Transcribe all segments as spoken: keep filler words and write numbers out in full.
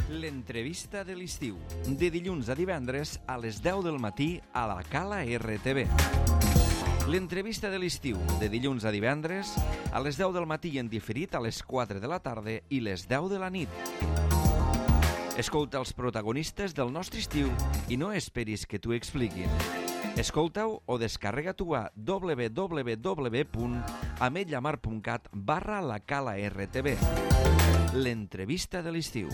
L'entrevista de l'estiu, de dilluns a divendres a les deu del matí a la Cala R T V. L'entrevista de l'estiu, de dilluns a divendres a les deu del matí i en diferit a les quatre de la tarda i les deu de la nit. Escolta els protagonistes del nostre estiu i no esperis que t'ho expliquin. Escolta-ho o descarrega-t'ho a w w w punt ametlllamar punt cat barra la Cala R T V. L'entrevista de l'estiu.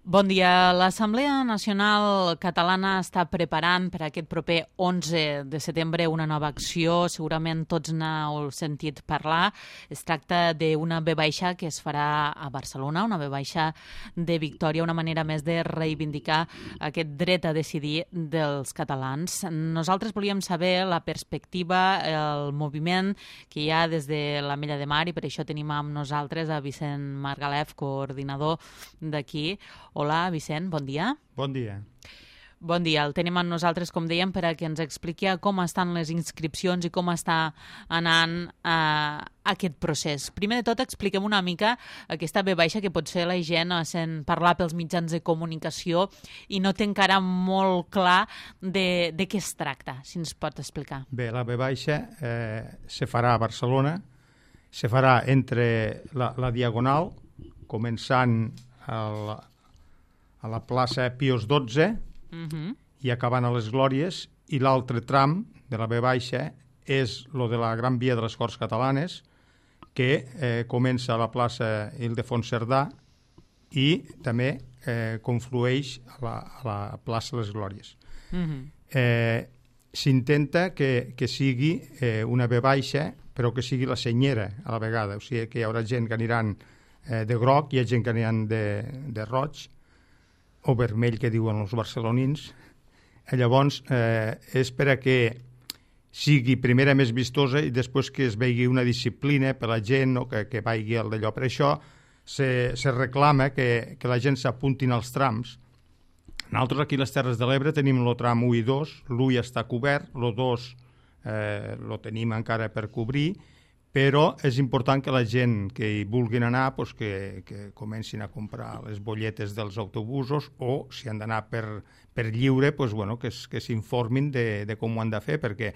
Bon dia. L'Assemblea Nacional Catalana està preparant per aquest proper onze de setembre una nova acció. Segurament tots n'heu sentit parlar. Es tracta d'una ve baixa que es farà a Barcelona, una ve baixa de victòria, una manera més de reivindicar aquest dret a decidir dels catalans. Nosaltres volíem saber la perspectiva, el moviment que hi ha des de l'Ametlla de Mar i per això tenim amb nosaltres a Vicent Margalef, coordinador d'aquí. Hola, Vicent, bon dia. Bon dia. Bon dia. El tenim amb nosaltres, com dèiem, per a que ens expliqui com estan les inscripcions i com està anant eh, aquest procés. Primer de tot, expliquem una mica aquesta ve baixa que potser la gent sent parlar pels mitjans de comunicació i no té encara molt clar de, de què es tracta, si ens pot explicar. Bé, la ve baixa eh, se farà a Barcelona, se farà entre la, la Diagonal, començant a a la plaça Pius dotze uh-huh. i acabant a les Glòries, i l'altre tram de la ve baixa és lo de la Gran Via de les Corts Catalanes, que eh, comença a la plaça Ildefons Cerdà i també eh, conflueix a la, a la plaça Les Glòries. Uh-huh. Eh, s'intenta que, que sigui eh, una ve baixa, però que sigui la senyera a la vegada, o sigui que hi haurà gent que aniran eh, de groc, hi ha gent que aniran de, de roig, o vermell, que diuen els barcelonins. Llavors, eh, és per a que sigui primera més vistosa i després que es vegi una disciplina per la gent, o que, que vagi al d'allò. Per això se, se reclama que, que la gent s'apuntin als trams. Nosaltres aquí a les Terres de l'Ebre tenim el tram u i dos, l'u ja està cobert, el dos eh, lo tenim encara per cobrir, però és important que la gent que hi vulguin anar pues, que, que comencin a comprar les bolletes dels autobusos, o si han d'anar per, per lliure, pues, bueno, que, que s'informin de, de com ho han de fer, perquè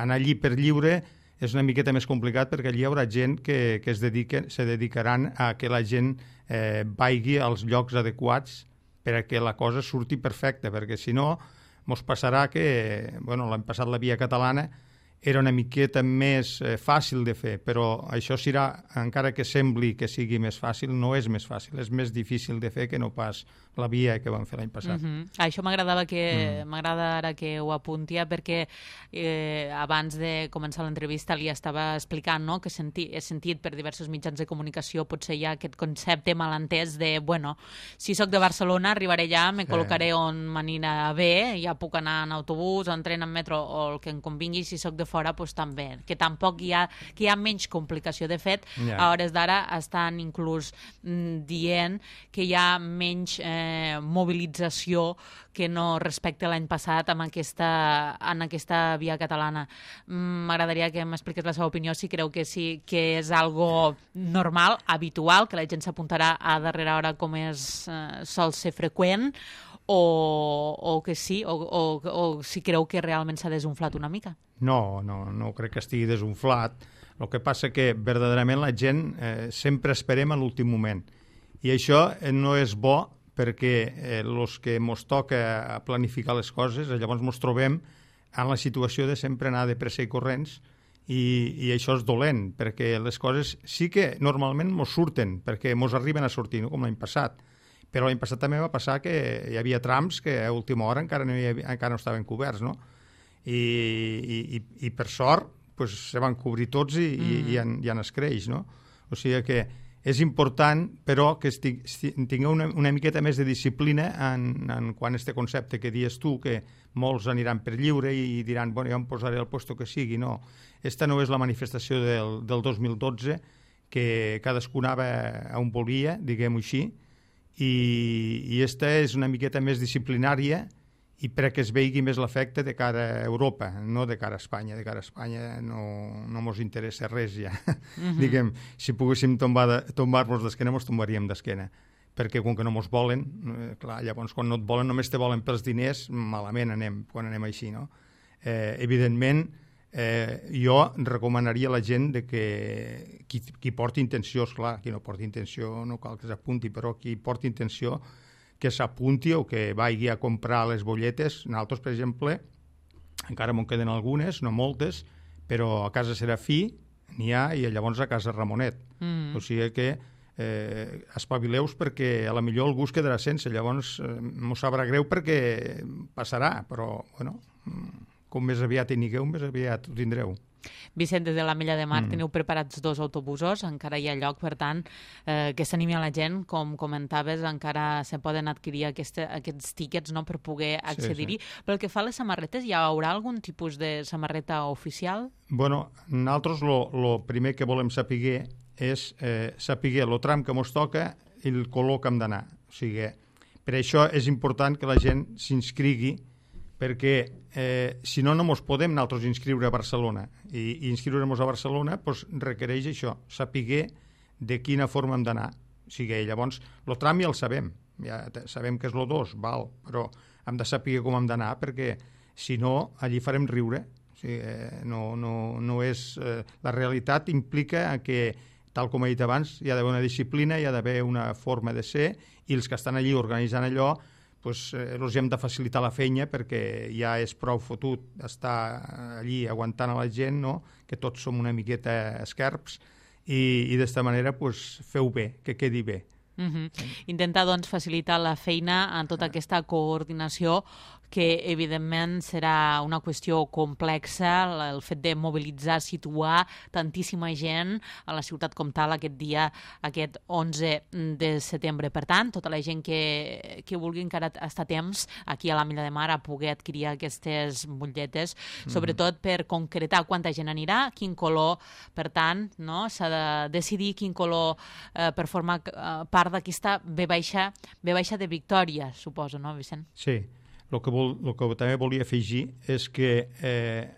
anar allí per lliure és una miqueta més complicat, perquè allí hi haurà gent que, que es dediquen, se dedicaran a que la gent eh, vagi als llocs adequats per a que la cosa surti perfecta, perquè si no mos passarà que, bueno, l'any passat la Via Catalana era una miqueta més eh, fàcil de fer, però això serà, encara que sembli que sigui més fàcil, no és més fàcil, és més difícil de fer que no pas la via que vam fer l'any passat. Uh-huh. Això m'agradava que, mm. m'agrada ara que ho apuntia, perquè eh, abans de començar l'entrevista li estava explicant, no?, que senti, he sentit per diversos mitjans de comunicació, potser hi ha aquest concepte malentès de, bueno, si sóc de Barcelona, arribaré allà, me col·locaré sí. on m'anirà bé, ja puc anar en autobús, o en tren, en metro, o el que em convingui, si sóc de fora, doncs també, que tampoc hi ha, que hi ha menys complicació. De fet, yeah. a hores d'ara estan inclús mm, dient que hi ha menys eh, mobilització que no respecte l'any passat amb aquesta, en aquesta via catalana. M'agradaria que m'expliqués la seva opinió, si creu que sí, que és algo normal, habitual, que la gent s'apuntarà a darrera hora com és eh, sol ser freqüent, o, o que sí, o, o, o si creu que realment s'ha desunflat una mica. No, no, no crec que estigui desunflat. El que passa que verdaderament la gent eh, sempre esperem a l'últim moment. I això eh, no és bo, perquè eh, els que ens toca planificar les coses, llavors ens trobem en la situació de sempre anar de pressa i corrents, i, i això és dolent, perquè les coses sí que normalment ens surten, perquè ens arriben a sortir, no? Com l'any passat. Però l'any passat també va passar que hi havia trams que a última hora encara no, havia, encara no estaven coberts, no? I, i, i per sort pues, se van cobrir tots i, mm. i, i, en, i en es creix, no? O sigui que és important, però, que tingueu una, una miqueta més de disciplina en, en quan este concepte que dius tu, que molts aniran per lliure i diran, bueno, ja em posaré al puesto que sigui. No, esta no és la manifestació del, del dos mil dotze, que cadascú anava a on volia, diguem-ho així, i, i esta és una miqueta més disciplinària i perquè es vegi més l'efecte de cara a Europa, no de cara a Espanya. De cara a Espanya no, no mos interessa res ja. Mm-hmm. Diguem, si poguéssim tombar tombar-nos d'esquena, mos tombaríem d'esquena. Perquè com que no mos volen, eh, clar, llavors quan no et volen, només te volen pels diners, malament anem, quan anem així, no? Eh, evidentment, eh, jo recomanaria a la gent de que qui, qui porti intenció, esclar, qui no porti intenció no cal que s'apunti, però qui porti intenció que s'apunti o que vagi a comprar les bolletes. Nosaltres, per exemple, encara m'en queden algunes, no moltes, però a casa Serafí n'hi ha i llavors a casa Ramonet. Mm. O sigui que eh, espavileus perquè a la millor algú es quedarà sense, llavors eh, m'ho sabrà greu perquè passarà, però bueno, com més aviat hi nigueu, més aviat ho tindreu. Vicent, des de l'Ametlla de Mar mm. teniu preparats dos autobusos, encara hi ha lloc, per tant, eh, que s'animi a la gent, com comentaves, encara se poden adquirir aquesta, aquests tíquets, no?, per poder accedir-hi. Sí, sí. Pel que fa a les samarretes, hi haurà algun tipus de samarreta oficial? Bueno, nosaltres el primer que volem saber és eh, saber el tram que ens toca i el color que hem d'anar. O sigui, per això és important que la gent s'inscrigui, perquè eh, si no, no ens podem nosaltres inscriure a Barcelona. I, i inscriure-nos a Barcelona pues, requereix això, saber de quina forma hem d'anar. O sigui, llavors, el tram ja el sabem, ja sabem que és el dos, val, però hem de saber com hem d'anar, perquè si no, allí farem riure. O sigui, eh, no, no, no és, eh, la realitat implica que, tal com he dit abans, hi ha d'haver una disciplina, hi ha d'haver una forma de ser, i els que estan allí organitzant allò pues, eh, els hem de facilitar la feina perquè ja és prou fotut estar allí aguantant a la gent, no? Que tots som una miqueta esquerps i, i d'esta manera pues, feu bé, que quedi bé. Mm-hmm. Intentar doncs, facilitar la feina en tota aquesta coordinació que evidentment serà una qüestió complexa, el fet de mobilitzar, situar tantíssima gent a la ciutat com tal aquest dia, aquest onze de setembre. Per tant, tota la gent que, que vulgui encara estar temps aquí a l'Ametlla de Mar a poder adquirir aquestes butlletes, mm. sobretot per concretar quanta gent anirà, quin color, per tant, no? S'ha de decidir quin color eh, per formar eh, part d'aquesta ve baixa, ve baixa de Victòria, suposo, no, Vicent? Sí. El que, vol, el que també volia afegir és que eh,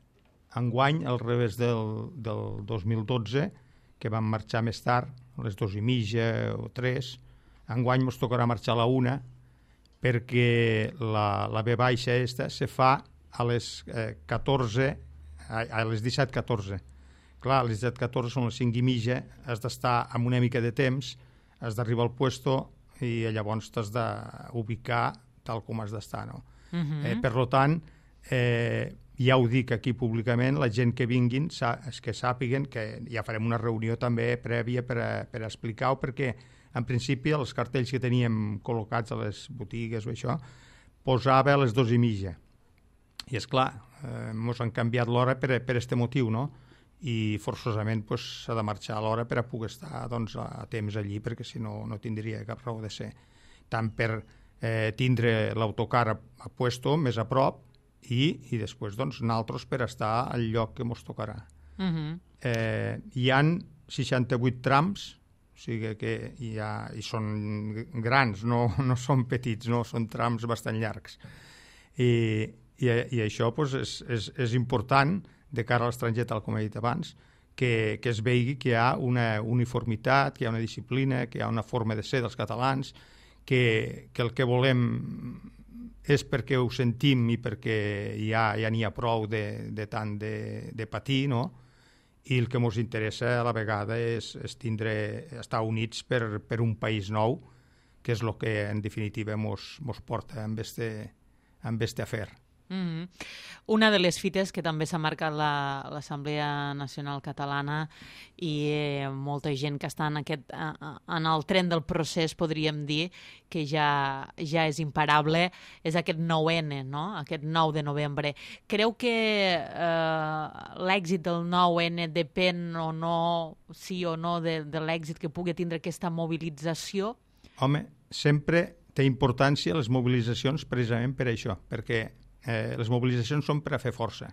enguany, al revés del, del dos mil dotze, que vam marxar més tard, a les dues i mitja o tres, enguany ens tocarà marxar a la una, perquè la, la V baixa esta se fa a les eh, catorze, a, a les disset catorze. Clar, a les disset catorze són les cinc i mitja, has d'estar amb una mica de temps, has d'arribar al puesto i llavors t'has d'ubicar tal com has d'estar, no? Uh-huh. Eh, per tant, eh, ja ho dic aquí públicament, la gent que vinguin és que sàpiguen que ja farem una reunió també prèvia per, a, per a explicar-ho, perquè en principi els cartells que teníem col·locats a les botigues o això posava a les dues i mitja i és clar, eh, ens han canviat l'hora per, per este motiu, no? I forçosament s'ha pues, de marxar a l'hora per a poder estar doncs, a temps allí, perquè si no no tindria cap raó de ser, tant per Eh, tindre l'autocar a, a puesto més a prop i, i després doncs, nosaltres per estar al lloc que ens tocarà. Uh-huh. eh, hi han seixanta-vuit trams, o sigui que hi ha, i són grans, no, no són petits, no, són trams bastant llargs. I, i, i això doncs, és, és, és important de cara a l'estranger, tal com he dit abans, que, que es vegi que hi ha una uniformitat, que hi ha una disciplina, que hi ha una forma de ser dels catalans, Que, que el que volem és perquè ho sentim i perquè ja ja n'hi ha prou de, de tant de, de patir, no? I el que ens interessa a la vegada és, és tindre, estar units per, per un país nou, que és el que en definitiva ens porta amb este, amb este afer. Mm-hmm. Una de les fites que també s'ha marcat l'Assemblea la, Nacional Catalana i eh, molta gent que està en, aquest, en el tren del procés, podríem dir, que ja, ja és imparable, és aquest nou ene, no? Aquest nou de novembre. Creu que eh, l'èxit del nou ene depèn o no, sí o no, de, de l'èxit que pugui tindre aquesta mobilització? Home, sempre té importància les mobilitzacions precisament per això, perquè Eh, les mobilitzacions són per a fer força.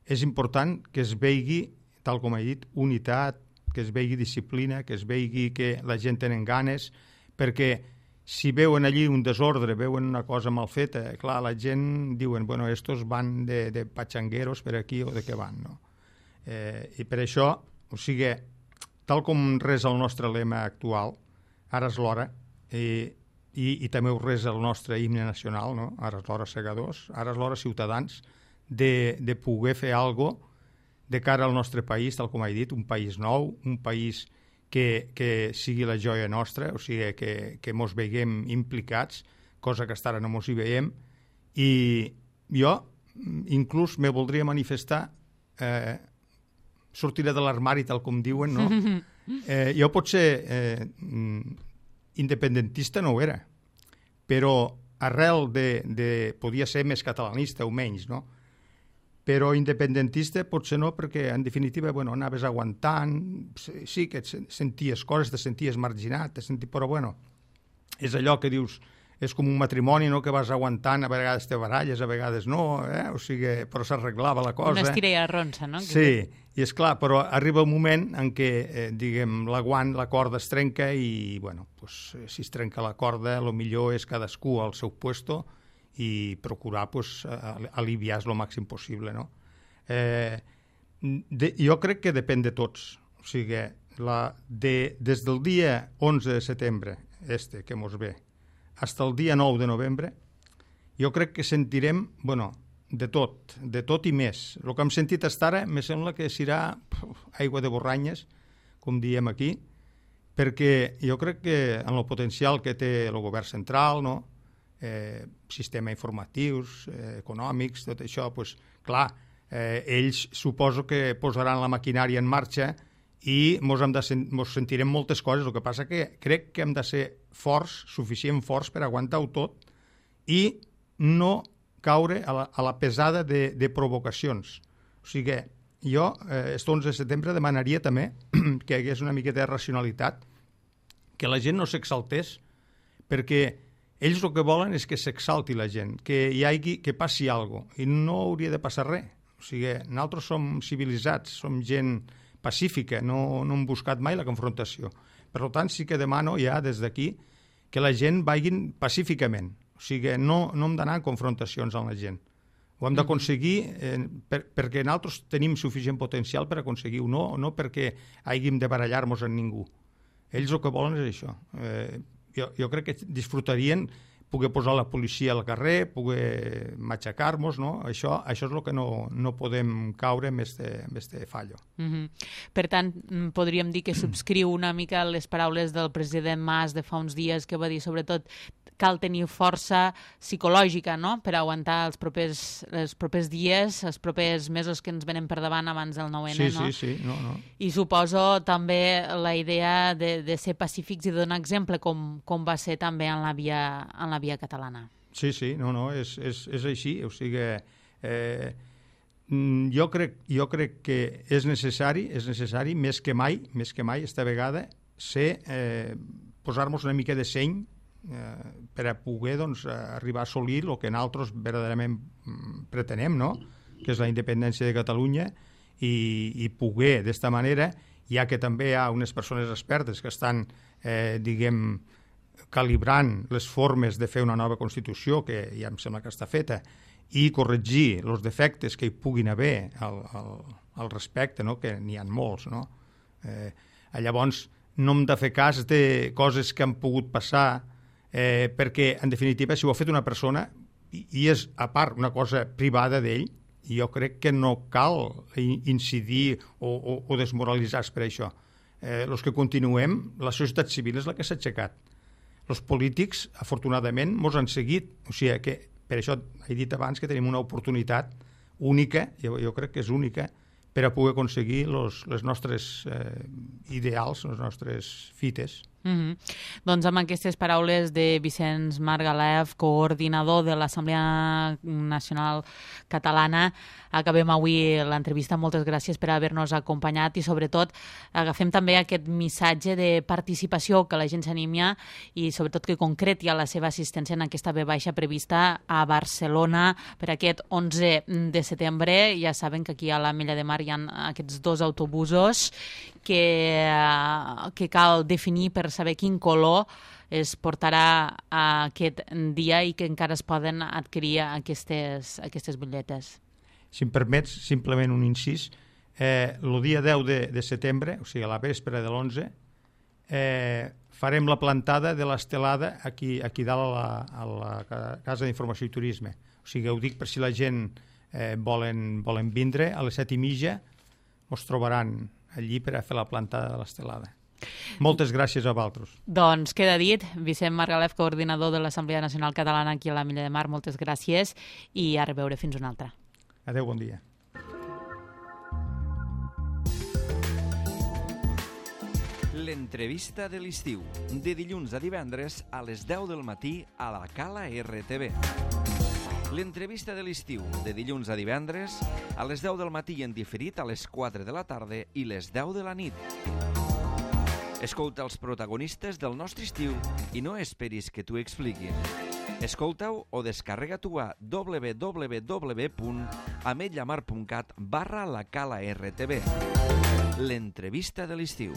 És important que es vegi, tal com he dit, unitat, que es vegi disciplina, que es vegi que la gent tenen ganes, perquè si veuen allí un desordre, veuen una cosa mal feta, clar, la gent diuen, bueno, estos van de, de pachangueros per aquí o de què van, no? Eh, I per això, o sigui, tal com res el nostre lema actual, ara és l'hora, i, i, i també ho res el nostre himne nacional, no? Ara és l'hora segadors, ara és l'hora ciutadans, de, de poder fer alguna cosa de cara al nostre país, tal com he dit, un país nou, un país que, que sigui la joia nostra, o sigui, que, que mos veiem implicats, cosa que fins ara no mos hi veiem, i jo inclús me voldria manifestar, eh, sortiré de l'armari, tal com diuen, no? Eh, jo potser eh, independentista no ho era, però arrel de, de podia ser més catalanista o menys, no? Però independentista potser no, perquè en definitiva, bueno, anaves aguantant, sí que et senties coses, te senties marginat, te senties, però bueno, és allò que dius, és com un matrimoni, no?, que vas aguantant, a vegades te baralles, a vegades no, eh? O sigui, però s'arreglava la cosa. Una estira i arronsa, no? Sí, i és clar, però arriba un moment en què, eh, diguem, l'aguant, la corda es trenca i, bueno, pues, si es trenca la corda, el millor és cadascú al seu puesto i procurar pues, aliviar el màxim possible, no? Eh, de, jo crec que depèn de tots. O sigui, la, de, des del dia onze de setembre, este que mos ve, fins al dia nou de novembre, jo crec que sentirem, bueno, de tot, de tot i més. El que hem sentit fins ara me sembla que serà puf, aigua de borranyes, com diem aquí, perquè jo crec que en el potencial que té el govern central, no?, Eh, sistema informatius, eh, econòmics, tot això, pues, clar, eh, ells suposo que posaran la maquinària en marxa i mos, hem de sen mos sentirem moltes coses. El que passa que crec que hem de ser forts, suficient forts per aguantar-ho tot i no caure a la, a la pesada de, de provocacions. O sigui, jo, eh, este onze de setembre, demanaria també que hi hagués una miqueta de racionalitat, que la gent no s'exaltés, perquè ells el que volen és que s'exalti la gent, que hi hagi, que passi alguna cosa, i no hauria de passar res. O sigui, nosaltres som civilitzats, som gent pacífica, no, no hem buscat mai la confrontació. Per tant, sí que demano ja des d'aquí que la gent vagin pacíficament. O sigui, no, no hem d'anar en confrontacions amb la gent. Ho hem d'aconseguir eh, per, perquè nosaltres tenim suficient potencial per aconseguir-ho, no, no perquè hàgim de barallar-nos amb ningú. Ells el que volen és això. Eh, Jo, jo crec que disfrutarien poder posar la policia al carrer, poder matxacar-nos, no? Això, això és el que no, no podem caure amb este fallo. Mm-hmm. Per tant, podríem dir que subscriu una mica les paraules del president Mas de fa uns dies, que va dir, sobretot, cal tenir força psicològica, no?, per aguantar els propers, els propers dies, els propers mesos que ens venen per davant abans del nou ene, sí, no? Sí, sí, no, no. I suposo també la idea de, de ser pacífics i de donar exemple, com, com va ser també en la via, en la via catalana. Sí, sí, no, no, és, és, és així, o sigui, eh, jo crec, jo crec que és necessari, és necessari, més que mai, més que mai, esta vegada, ser, eh, posar-nos una mica de seny, Eh, per a poder doncs, arribar a assolir el que nosaltres verdaderament pretenem, no?, que és la independència de Catalunya, i, i poder d'esta manera, ja que també hi ha unes persones expertes que estan, eh, diguem, calibrant les formes de fer una nova Constitució, que ja em sembla que està feta, i corregir els defectes que hi puguin haver al, al, al respecte, no?, que n'hi ha molts, no? Eh, llavors, no hem de fer cas de coses que han pogut passar, Eh, perquè, en definitiva, si ho ha fet una persona i, i és, a part, una cosa privada d'ell, jo crec que no cal incidir o, o, o desmoralitzar-se per això. Eh, els que continuem, la societat civil és la que s'ha aixecat. Els polítics, afortunadament, mos han seguit. O sigui que, per això he dit abans que tenim una oportunitat única, jo, jo crec que és única, per a poder aconseguir los, les nostres eh, ideals, les nostres fites. Mm-hmm. Doncs amb aquestes paraules de Vicenç Margalef, coordinador de l'Assemblea Nacional Catalana, acabem avui l'entrevista. Moltes gràcies per haver-nos acompanyat i, sobretot, agafem també aquest missatge de participació, que la gent s'animia i, sobretot, que concreti la seva assistència en aquesta ve baixa prevista a Barcelona per aquest onze de setembre. Ja saben que aquí a l'Ametlla de Mar hi ha aquests dos autobusos que, que cal definir per saber quin color es portarà a aquest dia i que encara es poden adquirir aquestes, aquestes butlletes. Si em permets, simplement un incís, eh, el dia deu de, de setembre, o sigui, a la vespre de l'onze, eh, farem la plantada de l'estelada aquí, aquí dalt a la, a la Casa d'Informació i Turisme. O sigui, ho dic per si la gent eh, volen, volen vindre, a les set i mitja us trobaran allí per a fer la plantada de l'estelada. Moltes gràcies a vosaltres. Doncs queda dit. Vicent Margalef, coordinador de l'Assemblea Nacional Catalana aquí a la Milla de Mar, moltes gràcies i a reveure fins una altra. Adéu, bon dia. L'entrevista de l'estiu, de dilluns a divendres a les deu del matí a la Cala R T V. L'entrevista de l'estiu, de dilluns a divendres a les deu del matí en diferit a les quatre de la tarda i les deu de la nit. Escolta els protagonistes del nostre estiu i no esperis que t'ho expliquin. Escolta-ho o descarrega-t'ho a w w w punt ametlllamar punt cat barra la Cala R T V. L'entrevista de l'estiu.